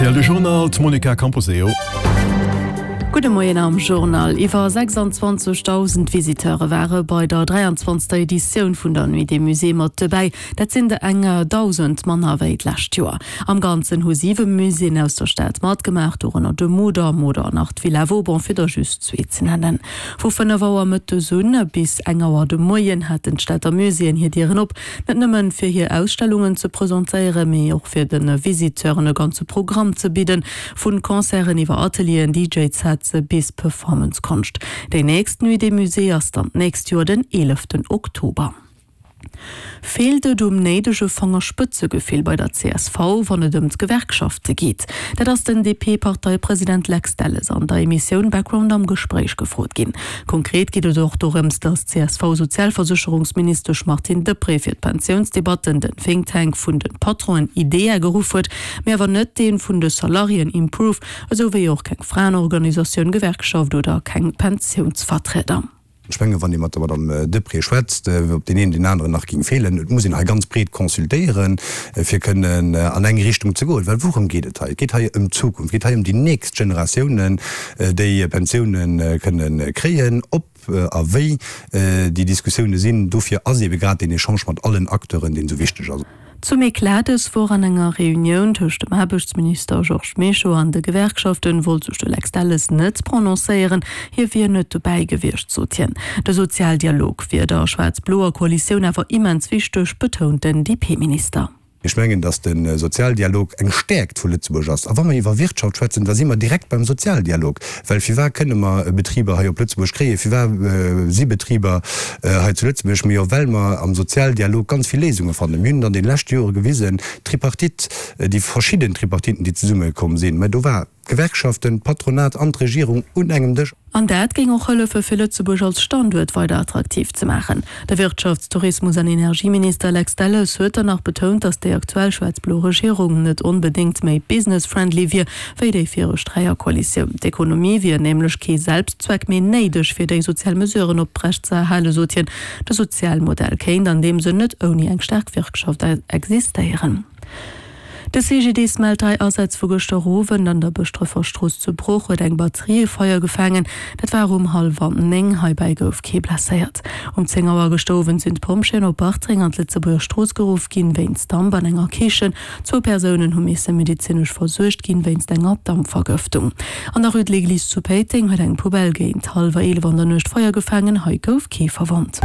Rtl De Journal, d'Monica Camposeo. Gudde Moien am Journal. Iwwer 26.000 Visiteure ware bei der 23. Editioun vun der Nuit des Musées mat dobäi. Dat sinn der eng 1.000 manner wéi d'lescht Joer. Am Ganzen hu siwe Muséeën aus der Stad matgemaach, dorënner de Mudam oder nach d'Villa Vauban, fir der just zwee ze nennen. Vu 5 Auer mëttes un bis eng Auer de Moien haten d'Stater Muséeën hir Dieren op. Net nëmmen fir hir Ausstellungen ze presentéieren, mee och fir de Visiteuren e ganze Programm ze bidden, vun Concerten iwwer Atelieren, DJ-Sets bis Performance-Konscht. Déi nächst Nuit des Musées ass dann d'nächst Joer den 11 Oktober. Feelt et um néidege Fangerspëtzegefill bei der csv, wann et ëm d'Gewerkschafte geet? Dat ass den DP-Parteipresident Lex Delles an der Emissioun Background am Gespréich gefrot ginn. Konkret geet et och dorëms, datt d'CSV-Sozialversécherungsministesch Martine Deprez fir d'Pensiounsdebatten den Think Tank vun de Patronen IDEA geruff huet, mee awer net dee vun de Salariéen Improve, esou wéi och keng Fraenorganisatioun, Gewerkschaft oder keng Pensiounsvertrieder. Ech mengen, wann ee mat der Madame Deprez schwätzt, ob deen een deen aneren nach géing feelen. Et muss een hei ganz breet consultéieren, fir kënnen an eng Richtung ze goen. Well wourëm geet et hei? Et geet hei ëm d'Zukunft, et geet hei ëm déi nächst Generatiounen, déi Pensiounen kënnen kréien. Ob a wéi déi Diskussioune sinn, dofir ass eebe grad deen Echange mat allen Acteuren, deen esou wichteg ass. Zum Eclat dës Woch an enger Reunioun tëscht dem Aarbechtsminister Georges Mischo an de Gewerkschaften wollt sech de Lex Delles net prononcéieren. Hie wier net dobäi gewiescht, sot hien. De Sozialdialog wier der schwaarz-bloer Koalitioun awer immens wichteg, betount den DP-Minister. Ech mengen, datt de Sozialdialog eng Stäerkt vu Lëtzebuerg ass. A wa mer iwwer Wirtschaft schwätzen, da si mer direkt beim Sozialdialog. Well firwat kënne mer Betriber hei op Lëtzebuerg kréien, firwat si Betriber hei zu Lëtzebuerg? Mee jo well mer am Sozialdialog ganz vill Léisunge fannen. Mir hunn et an deene leschte Jore gewisen, d'Tripartite, déi verschidden Tripartiten, déi zesummekomm sinn, mä do war d'Gewerkschaften, d'Patronat an d'Regierung un engem Dësch. An dat géing och hëllefe fir Lëtzebuerg als Standuert weider attraktiv ze maachen. De Wirtschafts-, Tourismus an Energieminister Lex Delles huet dann nach betount, datt déi aktuell schwaarz-blo Regierung net onbedéngt méi business-friendly wier, wéi déi viregt Dräierkoalitioun. D'Ekonomie wier nämlech kee Selbstzweck, mee néideg fir déi sozial Mesuren oprecht ze erhalen, sot hien. De Sozialmodell kéint an deem Sënn net ouni eng staark Wirtschaft existéieren. De CGDIS mellt 3 Asätz vu gëschter Owend. An der Bëschdrëffer Strooss zu Bruch huet eng Batterie Feier gefaangen. Dat war um hallwer 9. Heibäi gouf kee blesséiert. Um 10 Auer gëschter Owend sinn d'Pompjeeën op Bartreng an d'Lëtzebuerger Strooss geruff ginn, wéinst Damp an enger Kichen. Zwou Persounen hu misse medezinesch versuergt ginn, wéinst enger Dampvergëftung. An der Rue de l'Église zu Péiteng huet eng Poubelle géint hallwer 11 an der Nuecht Feier gefaangen. Hei gouf kee verwonnt.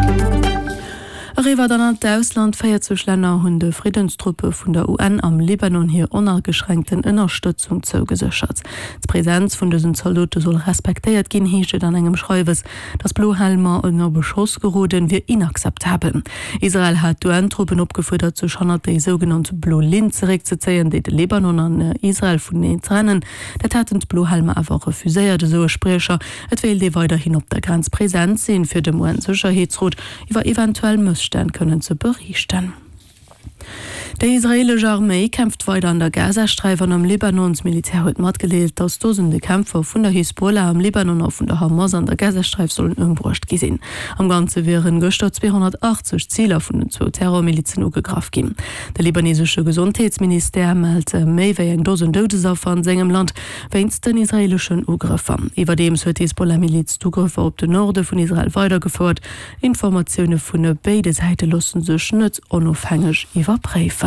Eriwwer dann an d'Ausland, 40 Länner hunn de Friddenstruppe vun der UN am Libanon hir onageschränkten Ënnerstëtzung zougeséchert. D'Presenz vun dësen Zaldote soll respektéiert ginn, heescht et an engem Schreiwes. Datt Blohelmer ënner Beschoss geroden, wier inakzeptabel. Israel hat d'UN-Truppen opgefuerdert, sech hannert déi sougenannt Blo Linn zeréckzezéien, déi de Libanon an Israel vuneneen trennen. Dat haten d'Blohelmer awer refuséiert, esou e Spriecher. Et wéilt ee weiderhin op der Grenz present sinn, fir dem UN-Sécherheetsrot iwwer eventuell Mësstänn kënnen ze beriichten. Déi israeelesch Arméi kämpft weider an der Gazasträif an am Libanon. D'Militär huet matgedeelt, datt Dosende Kämpfer vun der Hisbollah am Libanon a vun der Hamas an der Gazasträif sollen ëmbruecht gi sinn. Am Ganze wieren gëschter 280 Ziler vun den zwou Terrormilizen ugegraff ginn. De libanesesche Gesondheetsministère mellt méi wéi eng Dosen Doudesaffer an sengem Land wéinst den israeeleschen Ugrëffer. Iwwerdeems huet d'Hisbollah-Miliz d'Ugrëffer op den Norde vun Israel weidergefouert. Informatioune vun béide Säite loosse sech net onofhängeg iwwerpréifen.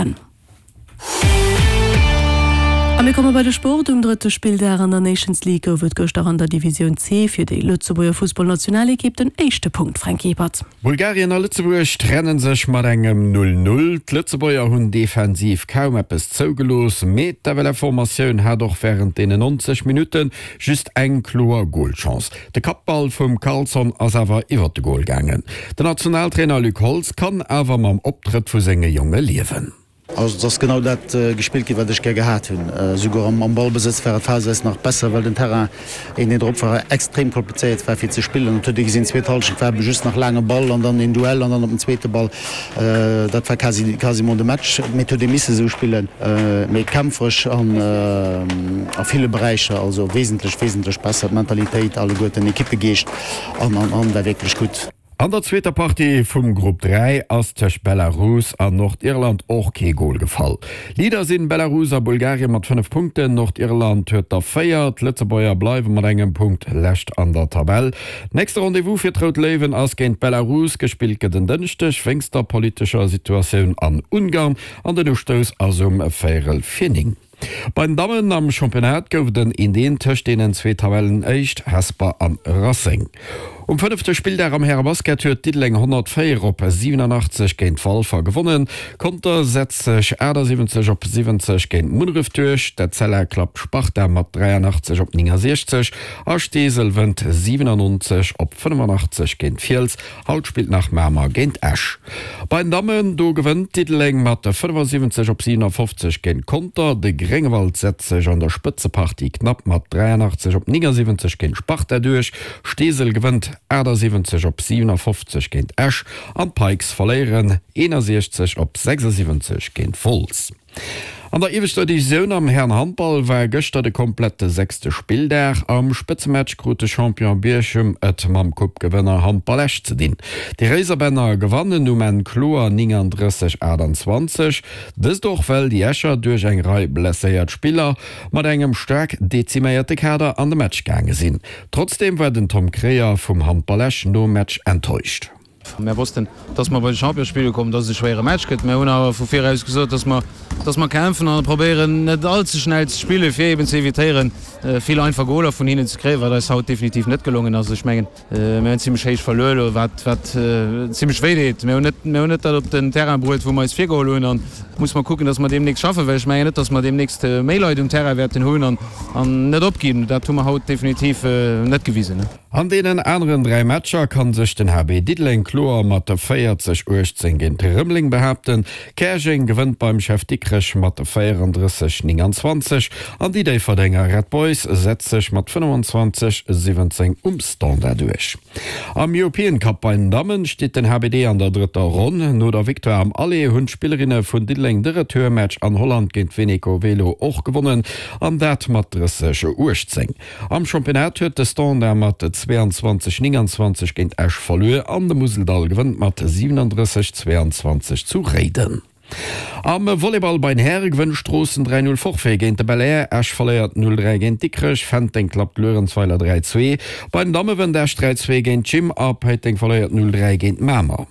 A mir komme bei de Sport. Um drëtte Spilldag an der Nations League gouf et gëschter an der Divisioun C fir déi Lëtzebuerger Fussballnationalekipp den éischte Punkt, Fränk Ebert. Bulgarien a Lëtzebuerg trenne sech mat engem 0, 0. D'Lëtzebuerger hunn defensiv kaum eppes zougelooss, mee d'FLF-Formatioun hat och wärend deenen 90 Minutte just eng kloer Golchance. De Kappball vum Karlsson ass awer iwwert de Gol gaangen. Den Nationaltrainer Luc Holtz kann awer mam Optrëtt vu senge Jonge liewen. Also et ass genau dat gespillt ginn, wat ech gär gehat hunn. Esouguer am Ballbesëtz war et phaseweis nach besser, well den Terrain, een deen drop war, extrem komplizéiert war fir ze spillen. Et huet ee gesinn, d'zweet Hallschent war just nach laange Ball an dann een Duell an dann op den zweete Ball. Dat war quasi quasiment de Match. Mee et huet ee misse esou spillen, méi kämpferesch an a ville Beräicher, also wesentlech, wesentlech besser. D'Mentalitéit alleguerten, Ekippegeescht an, an, an war wierklech gutt. An der zweeter Partie vum Grupp 3 ass tëscht Belarus an Nordirland och kee Gol gefall. Leader sinn Belarus a Bulgarien mat 5 Punkten, Nordirland huet der 4. D'Lëtzebuerger bleiwe mat engem Punkt lescht an der Tabell. Nächste Rendez-vous fir d'Rout Léiwen ass géint Belarus. Gespillt gëtt en Dënschdeg wéinst der politescher Situatioun an Ungarn an den Ustouss ass um véierel vir 9. Bei den Dammen am Championnat gouf et en Eent-Eent tëscht deenen zwee Tabellenéischt, Hesper an Racing. Um fënnefte Spilldag am Härebasket huet Diddeleng 104 op 87 géint Walfer gewonnen. Conter setzt sech 78 op 70 géint Munneref duerch. D'Etzella klappt Sparta mat 83 op 69 a Steesel wënnt 97 op 85 géint Fiels. Haut spillt nach Mamer géint Esch. Bei den Dammen, do gewënnt Diddeleng mat 75 op 57 géint Conter. De Gréngewald setzt sech an der Spëtzepartie knapp mat 83 op 79 géint Sparta duerch. Steesel gewënnt 78 op 57 géint Esch an d'Pikes verléieren 61 op 76 géint Wolz. An der ieweschter Divisioun am Hären-Handball war gëschter de komplette sechste Spilldag. Am Spëtzematch krut de Champion Bierchem et mam Coupe-Gewënner Handball Esch ze dinn. Déi Réiserbänner gewannen um Enn kloer 39, 28. Dëst och well déi Escher duerch eng Rei blesséiert Spiller mat engem staark deziméierte Kader an de Match gaange sinn. Trotzdeem war den Tom Kreyer vum Handball Esch nom Match enttäuscht. Mär wossten, dass mer bei de Champion spille kommen, dass et e schwéiere Match gëtt. Mär hunn awer vu viraus gesot, dass mer, dass mer kämpfen an probéieren, net all ze schnell ze spillen, fir eben ze evitéieren, vill einfach Goler vun hinnen ze kréien, wat eis haut definitiv net gelongen ass. Ech mengen, mär hunn zimlech héich verluer elo, wat, wat zimlech wéi deet. Mär hunn net, mär hunn net dat op den Terrain bruet, wou mer eis virgeholl hunn an muss mer kucken, dass mer deemnächst schaffen, well ech mengen net, dass mer deemnächst méi Leit um Terrain wäerten hunn an, an net opginn. Dat hu mer haut definitiv net gewisen. An deenen aneren 3 Matcher kann sech den HB Diddeleng kloer mat 40, 18 géint Rëmeleng behaapten. Käerjeng gewënnt beim Chef Dikrech mat 34, 29 an déi Déifferdenger Red Boys setzt sech mat 25, 17 um Standard duerch. Am European Cup bei den Dammen steet den HBD an der drëtter Ronn. No der Victoire am Aller hunn d'Spillerinne vun Diddeleng de Retourmatch an Holland géint Veneco Velo och gewonnen an dat mat 30, 18. Am Championnat huet de Standard mat 22, 29 géint Esch verluer an de Museldall gewënnt mat 37, 22 zu Réiden. Am Volleyball bei den Häre gewënnt Stroossen 3, 0 Forfait géint de Belair, Esch verléiert 0, 3 géint Dikrech, Fenteng klappt Luerenzweiler 3, 2. Bei den Damme wënnt Esch 3, 2 géint d'Gym a Péiteng verléiert 0, 3 géint Mamer.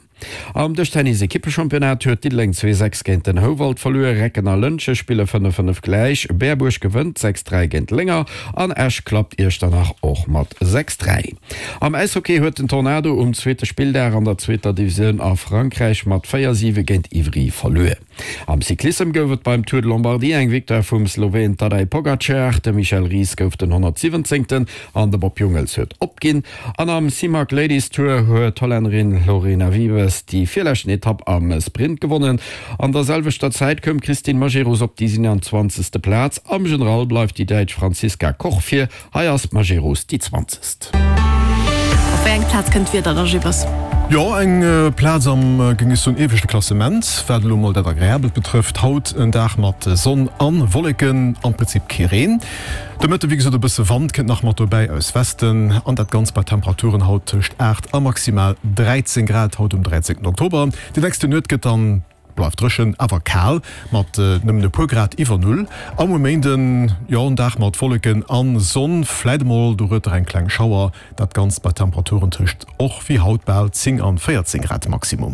Am Dëschtennis-Ekippechampionnat huet Diddeleng 2, 6 géint den Houwald verluer, Recken a Lëntge spille 5, 5 gläich, Berbuerg gewënnt 6, 3 géint Lénger an Esch klappt Iechternach och mat 6, 3. Am Äishockey huet den Tornado um zweete Spilldag an der zweeter Divisioun a Frankräich mat 4, 7 géint Ivry verluer. Am Cyclissem gouf et beim Tour de Lombardie eng Victoire vum Sloween Tadej Pogacar. De Michel Ries gouf den 117. An de Bob Jungels huet opginn. An am Simac Ladies Tour huet d'Hollännerin Lorena Wiebes déi virleschten Etapp am Sprint gewonnen. An der selwechter Zäit koum d'Christine Majerus op déi 27. Plaz. Am General bleift déi Däitsch Franziska Koch vir. Hei ass d'Majerus déi zwanzegst. Op wéi eng Plaz kënnt d'Wieder da, Gibas? Jo, eng Plaz am, géing ech soen, ieweschte Klassement, wat elo mol dat Agreabelt betrëfft. Haut en Dag mat Sonn an Wolleken, am Prinzip kee Reen. De Mëtte wéi gesot e bësse Wand kënnt nach mat dobäi aus Westen, an dat Ganzt bei Temperaturen haut tëscht 8 a maximal 13 Grad haut um 13 Oktober. Déi nächste Nuet gëtt dann Bleift dréchen, awer kal, mat nëmmen e puer Grad iwwer Null. A muer Méinden, jo, en Dag mat Wolleken a Sonn, vläit emol dorueter eng kleng Schauer. Dat Ganzt bei Temperaturen tëscht och wéi haut bal 10 an 14 Grad Maximum.